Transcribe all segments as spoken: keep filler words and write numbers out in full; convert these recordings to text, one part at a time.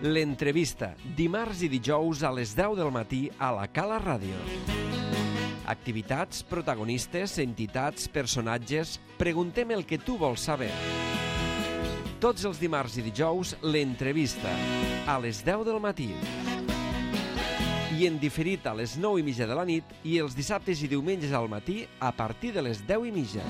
L'entrevista, dimarts i dijous a les deu del matí a la Cala Ràdio. Activitats, protagonistes, entitats, personatges... Preguntem el que tu vols saber. Tots els dimarts i dijous, l'entrevista, a les deu del matí. I en diferit a les nou i mitja de la nit i els dissabtes i diumenges al matí a partir de les deu i mitja.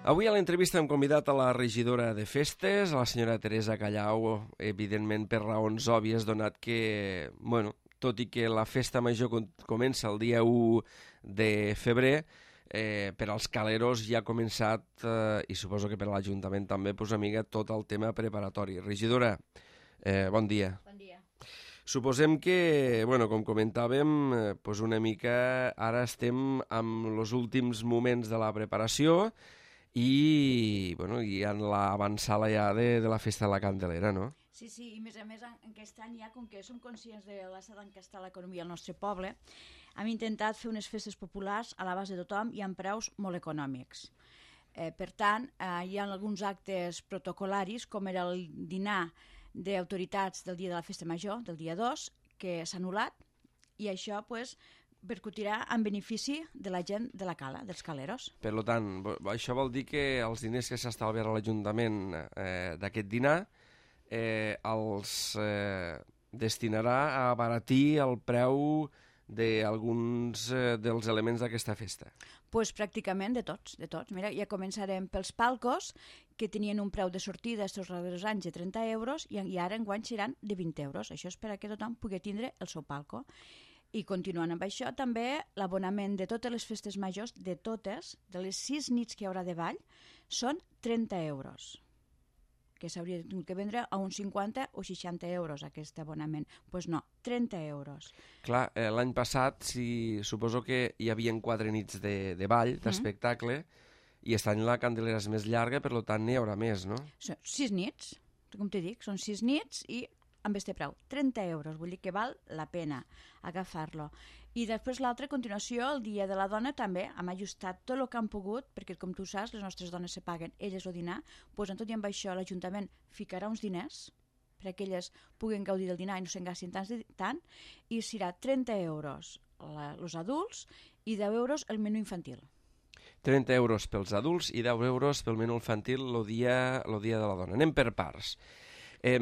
Avui a l'entrevista hem convidat a la regidora de festes, a la senyora Teresa Callau, evidentment per raons òbvies, donat que, bueno, tot i que la festa major comença el dia u de febrer, eh, per als caleros ja ha començat, eh, i suposo que per a l'Ajuntament també, pues, amiga, tot el tema preparatori. Regidora, eh, bon dia. Bon dia. Suposem que, bueno, com comentàvem, eh, pues una mica ara estem amb els últims moments de la preparació i, bueno, i en l'avançada ja de, de la festa de la Candelera, no? Sí, sí, i més a més en aquest any ja, com que som conscients de l'estat en què està l'economia al nostre poble, hem intentat fer unes festes populars a l'abast de tothom i amb preus molt econòmics. Eh, per tant, eh, hi ha alguns actes protocolaris, com era el dinar d'autoritats del dia de la festa major, del dia dos, que s'ha anul·lat, i això, pues, percutirà en benefici de la gent de la cala, dels caleros. Per tant, això vol dir que els diners que s'estalviarà a l'Ajuntament eh, d'aquest dinar eh, els eh, destinarà a abaratir el preu d'alguns eh, dels elements d'aquesta festa. Pues pràcticament de tots, de tots. Mira, ja començarem pels palcos, que tenien un preu de sortida estos darrers anys de trenta euros i, i ara enguany seran de vint euros. Això és per a que tothom pugui tindre el seu palco. I continuant amb això, també l'abonament de totes les festes majors, de totes, de les sis nits que hi haurà de ball, són trenta euros, que s'hauria de vendre a uns cinquanta o seixanta euros aquest abonament. Doncs pues no, trenta euros. Clar, eh, l'any passat si, suposo que hi havia quatre nits de, de ball, d'espectacle, mm. i aquest any la Candelera és més llarga, per tant n'hi haurà més, no? Són sis nits, com t'he dit, són sis nits i amb este preu, trenta euros, vull dir que val la pena agafar-lo. I després l'altra, a continuació, el Dia de la Dona, també hem ajustat tot el que han pogut, perquè com tu saps, les nostres dones se paguen elles el dinar, doncs en tot i amb això l'Ajuntament ficarà uns diners perquè elles puguen gaudir del dinar i no se'n gastin tant, tant, i serà trenta euros els adults i deu euros el menú infantil. trenta euros pels adults i deu euros pel menú infantil el dia, el dia de la Dona. Anem per parts. Eh,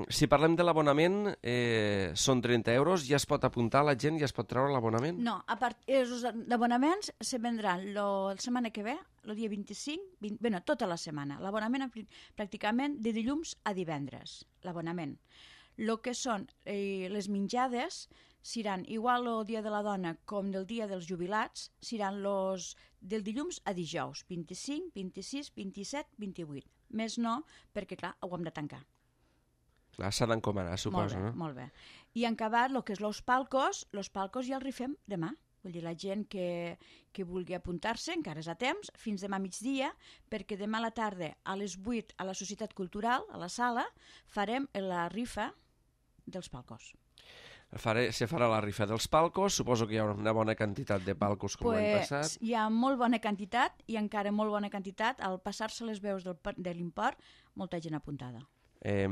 si parlem de l'abonament, eh, són trenta euros, ja es pot apuntar la gent, ja es pot treure l'abonament? No, a part, els abonaments se vendran lo, la setmana que ve, el dia vint-i-cinc, vint, bueno, tota la setmana. L'abonament pràcticament de dilluns a divendres, l'abonament. El que són eh, les menjades seran igual el dia de la dona com del dia dels jubilats, seran los del dilluns a dijous, vint-i-cinc, vint-i-sis, vint-i-set, vint-i-vuit. Més no, perquè clar, ho hem de tancar. Clar, s'ha d'encomanar, suposo, molt bé, no? Molt bé. I en acabat, el que és els palcos, els palcos ja els rifem demà. Vull dir, la gent que, que vulgui apuntar-se, encara és a temps, fins demà migdia, perquè demà a la tarda, a les vuit, a la Societat Cultural, a la sala, farem la rifa dels palcos. Faré, se farà la rifa dels palcos, suposo que hi haurà una bona quantitat de palcos com pues, l'any passat. Hi ha molt bona quantitat i encara molt bona quantitat, al passar-se les veus del, de l'import, molta gent apuntada. Eh,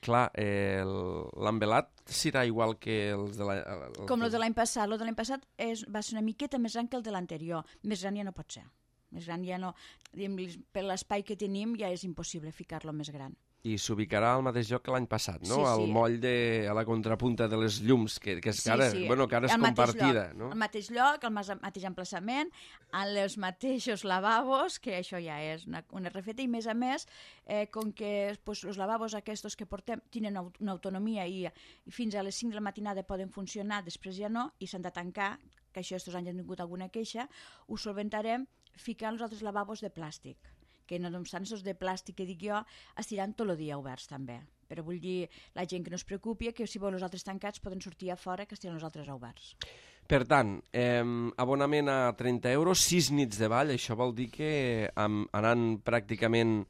clar, eh, l'envelat serà igual que els de l'any... Com el de l'any passat. El de l'any passat és, va ser una miqueta més gran que el de l'anterior. Més gran ja no pot ser. Més gran ja no... Per l'espai que tenim ja és impossible ficar-lo més gran. I s'ubicarà al mateix lloc que l'any passat, no? Sí, sí. Al moll de... a la contrapunta de les llums, que, que, és, sí, que ara, sí. Bueno, que ara és compartida, lloc, no? Al mateix lloc, al mateix emplaçament, en els mateixos lavabos, que això ja és una, una refeta, i més a més, eh, com que pues, els lavabos aquests que portem tenen una autonomia i, i fins a les cinc de la matinada poden funcionar, després ja no, i s'han de tancar, que això estos anys han tingut alguna queixa, ho solventarem ficant els altres lavabos de plàstic, que no obstant els de plàstic que dic jo estiran tot el dia oberts també, però vull dir la gent que no es preocupi que si volen els altres tancats poden sortir a fora que estiran els altres oberts. Per tant, eh, abonament a trenta euros, sis nits de ball, això vol dir que amb, anant pràcticament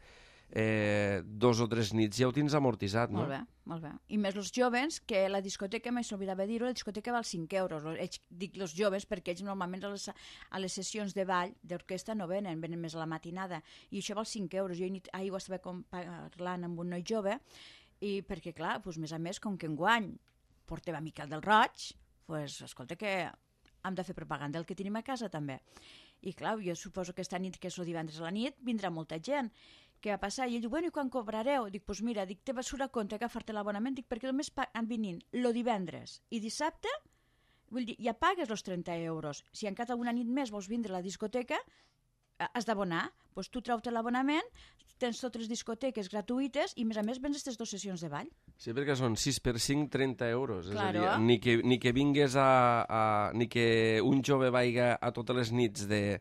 eh, dos o tres nits ja ho tens amortitzat, no? Molt bé, molt bé. I més els joves, que la discoteca, més s'oblidava dir-ho, la discoteca val cinc euros. Ells, dic els joves perquè ells normalment a les, a les sessions de ball d'orquestra no venen, venen més a la matinada. I això val cinc euros. Jo ahir ho estava parlant amb un noi jove, i perquè, clar, doncs, més a més, com que enguany portem a Miquel del Roig, doncs, escolta, que hem de fer propaganda del que tenim a casa, també. I, clar, jo suposo que aquesta nit, que és el divendres a la nit, vindrà molta gent. Què va passar? I ell diu, bueno, i quan cobrareu? Dic, doncs mira, dic, te va surt a compte agafar-te l'abonament, dic, perquè només han vinint el divendres i dissabte, vull dir, ja pagues els trenta euros. Si encara una nit més vols vindre a la discoteca, has d'abonar. Doncs tu treu-te l'abonament, tens totes les discoteques gratuïtes i, a més a més, vens aquestes dues sessions de ball. Sí, perquè són sis per cinc, trenta euros. Claro. És a dir, ni que, ni que vingues a, a... ni que un jove vaiga a totes les nits de,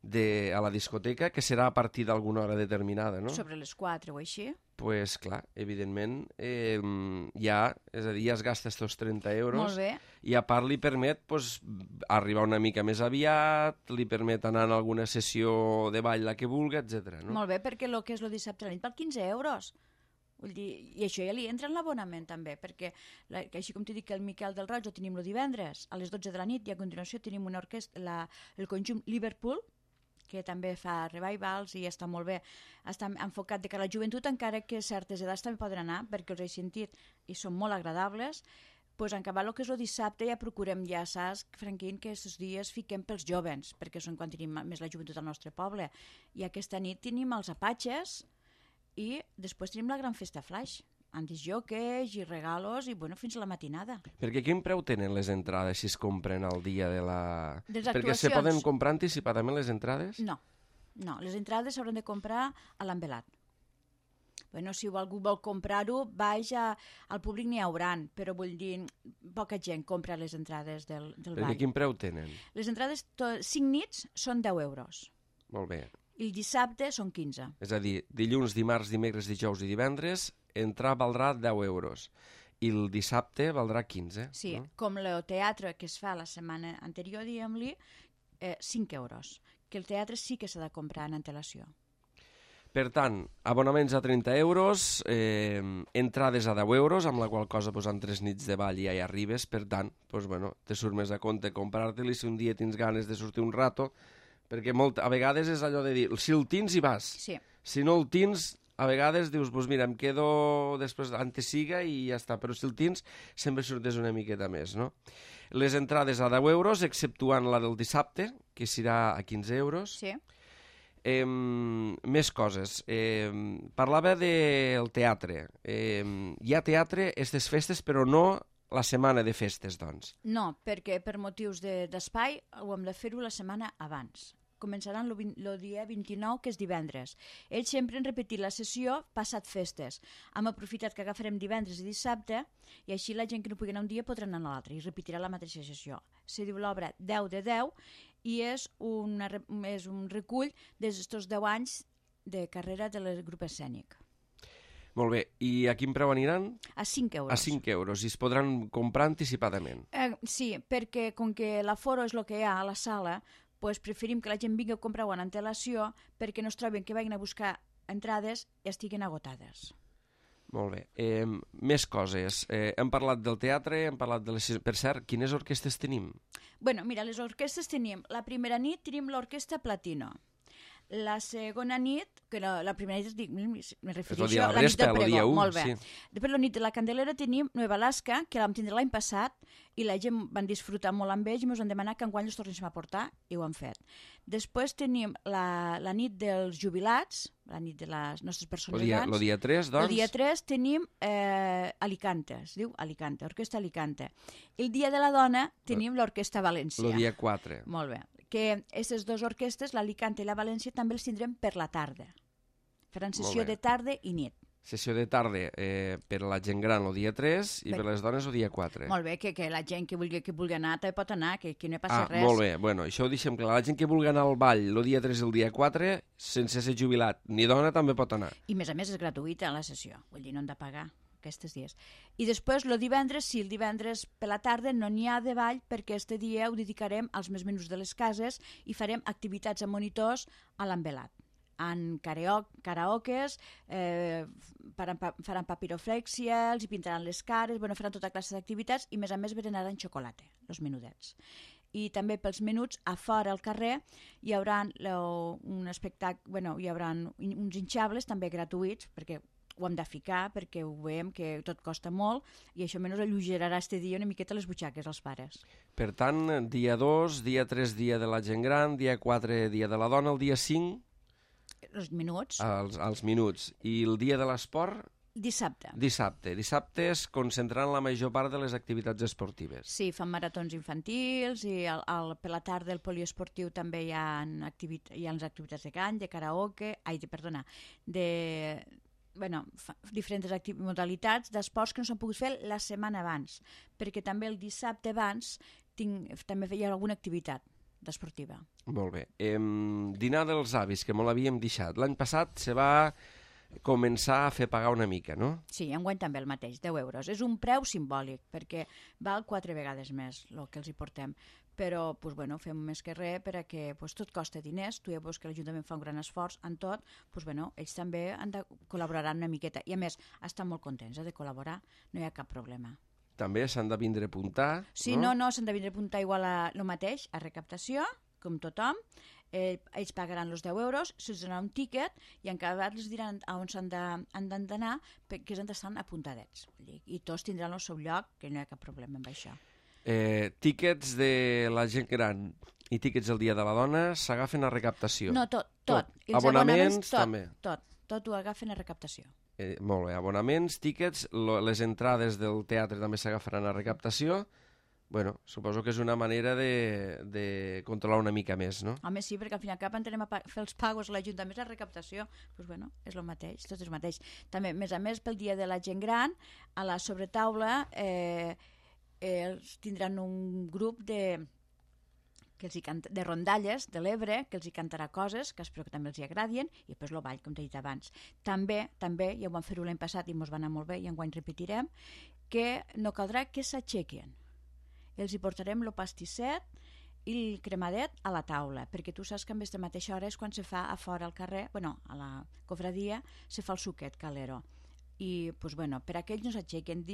de, a la discoteca, que serà a partir d'alguna hora determinada, no? Sobre les quatre o així. Doncs, pues, clar, evidentment, eh, ja, és a dir, ja es gasta estos trenta euros. Molt bé. I a part li permet pues, arribar una mica més aviat, li permet anar a alguna sessió de ball la que vulgui, etcètera. No? Molt bé, perquè el que és el dissabte a la nit val quinze euros. Vull dir, i això ja li entra en l'abonament també, perquè la, així com t'he dit que el Miquel del Roig ho tenim el divendres a les dotze de la nit i a continuació tenim una orquestra, la, el conjunt Liverpool, que també fa revivals i està molt bé, està enfocat de cara a la joventut, encara que certes edats també poden anar, perquè els he sentit i són molt agradables. Pues en acabar el que és el dissabte ja procurem, ja saps, Franquín, que aquests dies fiquem pels jovens, perquè són quan tenim més la joventut al nostre poble. I aquesta nit tenim els apatxes i després tenim la gran festa flash, amb disjoques i regalos i bueno, fins a la matinada. Perquè quin preu tenen les entrades si es compren el dia de la... Les Perquè se poden comprar anticipadament les entrades? No, no, les entrades s'hauran de comprar a l'embelat. Bueno, si algú vol comprar-ho, baix a, al públic n'hi hauran, però vull dir, poca gent compra les entrades del, del ball. Perquè quin preu tenen? Les entrades, to, cinc nits, són deu euros. Molt bé. I el dissabte són quinze. És a dir, dilluns, dimarts, dimecres, dijous i divendres, entrar valdrà deu euros. I el dissabte valdrà quinze. Sí, no? Com el teatre que es fa la setmana anterior, diguem-li, eh, cinc euros. Que el teatre sí que s'ha de comprar en antelació. Per tant, abonaments a trenta euros, eh, entrades a deu euros, amb la qual cosa pues, en tres nits de ball ja hi arribes, per tant, pues, bueno, te surt més a compte comprar-te-li si un dia tens ganes de sortir un rato, perquè molt, a vegades és allò de dir, si el tens hi vas, sí. Si no el tens, a vegades dius, pues mira, em quedo després antes siga i ja està, però si el tens sempre surtes una miqueta més, no? Les entrades a deu euros, exceptuant la del dissabte, que serà a quinze euros. Sí. Eh, més coses. Eh, parlava del teatre. Eh, hi ha teatre aquestes festes, però no la setmana de festes, doncs. No, perquè per motius d'espai de, ho hem de fer-ho la setmana abans. Començaran el dia vint-i-nou, que és divendres. Ells sempre han repetit la sessió passat festes. Hem aprofitat que agafarem divendres i dissabte i així la gent que no pugui anar un dia podrà anar a l'altre i repetirà la mateixa sessió. Se diu l'obra deu de deu i és, una, és un recull d'aquests deu anys de carrera del grup escènic. Molt bé, i a quin preu aniran? A cinc euros. A cinc euros, i es podran comprar anticipadament. Eh, sí, perquè com que l'aforo és el que hi ha a la sala, pues preferim que la gent vingui a comprar en antelació perquè no es troben que vagin a buscar entrades i estiguen agotades. Molt bé. Eh, més coses. Eh, hem parlat del teatre, hem parlat de les... Per cert, quines orquestes tenim? Bueno, mira, les orquestes tenim... La primera nit tenim l'orquestra Platino. La segona nit, que la, la primera nit, dic, me refereixo a la nit del pregó, molt bé. Sí. Després la nit de la Candelera tenim Nueva Alaska, que la vam tindre l'any passat, i la gent van disfrutar molt amb ells i ens han demanat que enguany els tornéssim a portar, i ho han fet. Després tenim la, la nit dels jubilats, la nit de les nostres persones grans. El dia tres, doncs? El dia tres tenim eh, Alicante, es diu Alicante, Orquestra Alicante. El dia de la dona tenim l'Orquestra València. El dia quatre. Molt bé. Que aquestes dues orquestres, l'Alicante i la València, també els tindrem per la tarda. Faran sessió de tarda i nit. Sessió de tarda eh, per a la gent gran el dia tres i per, per les dones el dia quatre. Molt bé, que, que la gent que vulgui, que vulgui anar també pot anar, que, que no hi passa ah, res. Molt bé, bueno, això ho deixem clar. La gent que vulgui anar al ball el dia tres i el dia quatre, sense ser jubilat ni dona, també pot anar. I més a més és gratuïta la sessió, vull dir, no han de pagar aquests dies. I després, el divendres, sí, el divendres per la tarda no n'hi ha de ball perquè este dia ho dedicarem als més menús de les cases i farem activitats amb monitors a l'envelat. en karaokes, eh, faran, faran papiroflèxia, els hi pintaran les cares, bueno, faran tota classe d'activitats i, a més a més, berenaran xocolata, els menudets. I també pels menuts, a fora al carrer, hi haurà un espectacle, bueno, hi haurà uns hinxables també gratuïts, perquè ho hem de ficar, perquè ho veiem que tot costa molt, i això menys alleugerarà este dia una miqueta les butxaques als pares. Per tant, dia dos, dia tres, dia de la gent gran, dia quatre, dia de la dona, el dia cinc... Els minuts. Els, els minuts. I el dia de l'esport... Dissabte. Dissabte. Dissabte es concentraran la major part de les activitats esportives. Sí, fan maratons infantils i el, el, per la tarda el poliesportiu també hi ha, activit hi ha les activitats de cant, de karaoke, ai, de, perdona, de bueno, fa, diferents modalitats d'esports que no s'han pogut fer la setmana abans, perquè també el dissabte abans tinc, també hi ha alguna activitat d'esportiva. Molt bé. Eh, dinar dels avis, que molt havíem deixat. L'any passat se va començar a fer pagar una mica, no? Sí, enguany també el mateix, deu euros. És un preu simbòlic, perquè val quatre vegades més el que els hi portem. Però pues, bueno, fem més que res perquè pues, tot costa diners. Tu ja veus que l'Ajuntament fa un gran esforç en tot. Pues, bueno, ells també han de col·laborar una miqueta. I a més, estan molt contents eh, de col·laborar. No hi ha cap problema. També s'han de vindre a apuntar, sí, no? Sí, no, no, s'han de vindre a apuntar igual a el mateix, a recaptació, com tothom. Eh, ells pagaran els deu euros, se'ls donarà un tíquet i en cada vegada els diran on s'han d'anar perquè han d'estar apuntadets. I tots tindran el seu lloc, que no hi ha cap problema amb això. Eh, tíquets de la gent gran i tíquets del Dia de la Dona s'agafen a recaptació? No, tot. tot. tot. Abonaments, abonaments tot, també? Tot, tot ho agafen a recaptació. Eh, molt bé, abonaments, tíquets, lo, les entrades del teatre també s'agafaran a recaptació. Bueno, suposo que és una manera de, de controlar una mica més, no? Home, sí, perquè al fin i al cap anem a fer els pagos a l'Ajuntament, la recaptació, doncs bueno, és el mateix, tot és el mateix. També, a més a més, pel Dia de la Gent Gran, a la sobretaula eh, eh, tindran un grup de, que els hi canta, de rondalles de l'Ebre, que els hi cantarà coses, que espero que també els hi agradin, i després el ball, com t'he dit abans. També, també, ja ho vam fer-ho l'any passat i ens va anar molt bé, i enguany repetirem, que no caldrà que s'aixequin. Els hi portarem el pastisset i el cremadet a la taula, perquè tu saps que a aquesta mateixa hora és quan se fa a fora al carrer, bueno, a la cofradia, se fa el suquet calero. I, pues, bueno, per aquells no s'aixequen,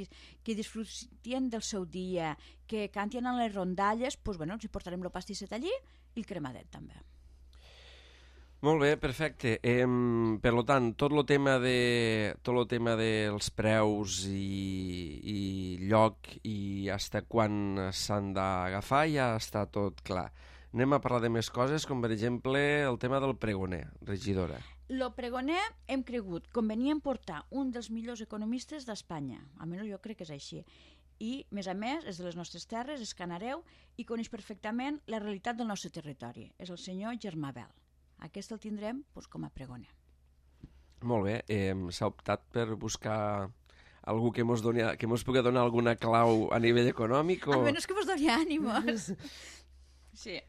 que disfrutien del seu dia, que cantien a les rondalles, pues, bueno, els hi portarem el pastisset allí i el cremadet també. Molt bé, perfecte. Eh, per tant, tot el tema de tot el tema dels preus i, i lloc i fins quan s'han d'agafar ja està tot clar. Anem a parlar de més coses, com per exemple el tema del pregoner, regidora. El pregoner hem cregut convenient portar un dels millors economistes d'Espanya, almenys jo crec que és així. I, a més a més, és de les nostres terres, és canareu i coneix perfectament la realitat del nostre territori. És el senyor Germà Bel. Aquest el tindrem doncs, com a pregoner. Molt bé. Eh, s'ha optat per buscar algú que mos, doni, que mos pugui donar alguna clau a nivell econòmic? O... Almenys que mos doni ànimos. Sí.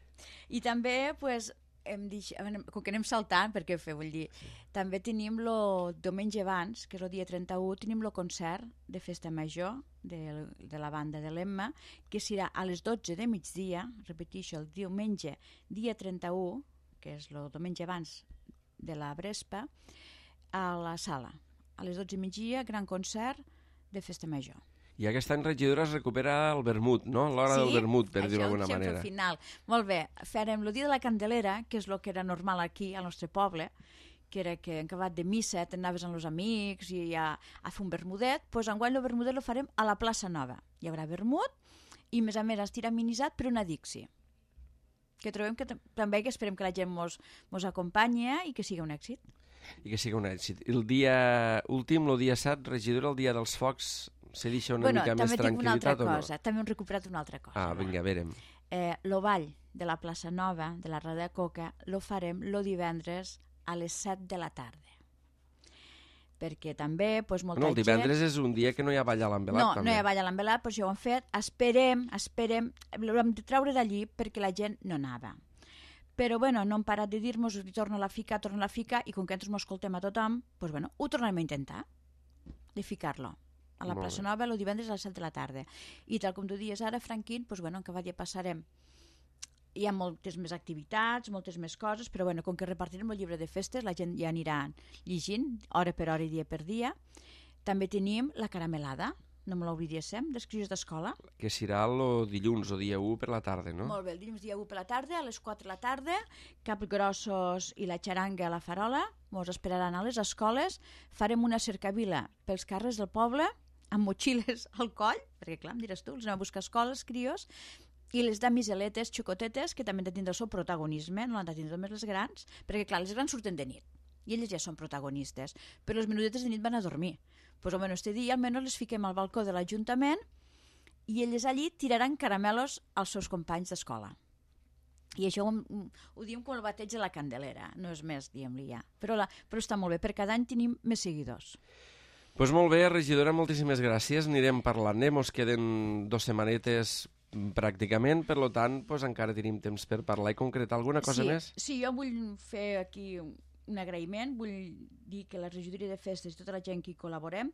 I també, pues, hem dit, com que anem saltant, perquè fer, vull dir, sí. També tenim el diumenge abans, que és el dia trenta-u, tenim el concert de Festa Major de, de la banda de l'Emma, que serà a les dotze de migdia, repeteixo, el diumenge, dia trenta-u, que és el diumenge abans de la Brespa, a la sala. A les dotze de migdia, gran concert de Festa Major. I aquest any, regidora, es recupera el vermut, no? L'hora sí? del vermut, per dir-ho d'alguna manera. Sí, això final. Molt bé. Farem el dia de la Candelera, que és el que era normal aquí, al nostre poble, que era que en acabat de missa t'anaves amb els amics i a, a fer un vermudet, doncs enguany el vermudet el farem a la plaça Nova. Hi haurà vermut i, a més a més, estirà amenitzat per una Dixi, que trobem que també que esperem que la gent mos, mos acompanyi i que sigui un èxit. I que sigui un èxit. El dia últim, el dia set, regidora, el dia dels focs, se deixa una bueno, mica més tranquil·litat o no? Cosa, també hem recuperat una altra cosa. Ah, vinga, a veure. Eh, lo ball de la plaça Nova, de la Rada de Coca, lo farem lo divendres a les set de la tarda. Perquè també, doncs, molta no, el divendres gent... és un dia que no hi ha ball a l'envelat, no, també. No, no hi ha ball a l'envelat, però ja ho hem fet. Esperem, esperem, l'hem de treure d'allí perquè la gent no anava. Però, bueno, no hem parat de dir-nos, torna a ficar, torna a ficar, i com que ens escoltem a tothom, doncs, bueno, ho tornarem a intentar, de ficar-lo a la plaça Nova el divendres a les set de la tarda. I tal com tu dies ara, Franquín, doncs, bueno, en que ja passarem hi ha moltes més activitats, moltes més coses, però bueno, com que repartirem el llibre de festes, la gent ja anirà llegint, hora per hora i dia per dia. També tenim la caramelada, no me l'oblidéssim, dels crios d'escola. Que serà el dilluns o dia u per la tarda, no? Molt bé, el dilluns dia u per la tarda, a les quatre de la tarda, capgrossos i la xaranga a la farola, ens esperaran a les escoles, farem una cercavila pels carrers del poble, amb motxilles al coll, perquè clar, em diràs tu, els anem a buscar escoles, crios, i les damiseletes xocotetes, que també han de tindre el seu protagonisme, no han de tindre només les grans, perquè clar, les grans surten de nit, i elles ja són protagonistes, però les menudetes de nit van a dormir. Doncs almenys este dia almenys les fiquem al balcó de l'Ajuntament i elles allí tiraran caramelos als seus companys d'escola. I això ho, ho diem com el bateig de la Candelera, no és més, diem-li ja. Però, la, però està molt bé, perquè cada any tenim més seguidors. Doncs pues molt bé, regidora, moltíssimes gràcies. Anirem parlant, eh? Mos queden dos setmanetes pràcticament, per tant, pues, encara tenim temps per parlar i concretar alguna cosa sí, més. Sí, jo vull fer aquí un agraïment, vull dir que la regidoria de festes i tota la gent que hi col·laborem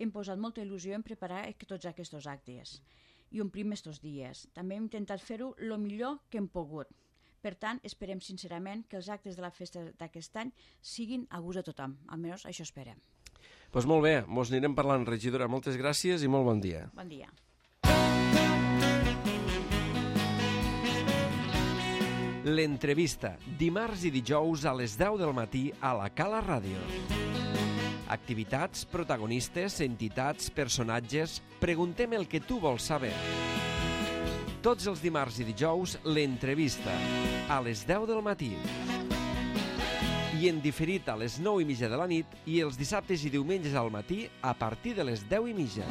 hem posat molta il·lusió en preparar tots aquests actes i omplim estos dies. També hem intentat fer-ho el millor que hem pogut. Per tant, esperem sincerament que els actes de la festa d'aquest any siguin a gust de tothom. Almenys això esperem. Doncs pues molt bé, mos anirem parlant, regidora. Moltes gràcies i molt bon dia. Bon dia. L'entrevista, dimarts i dijous a les deu del matí a la Cala Ràdio. Activitats, protagonistes, entitats, personatges... Preguntem el que tu vols saber. Tots els dimarts i dijous, l'entrevista, a les deu del matí. I en diferit a les nou i mitja de la nit i els dissabtes i diumenges al matí a partir de les deu i mitja.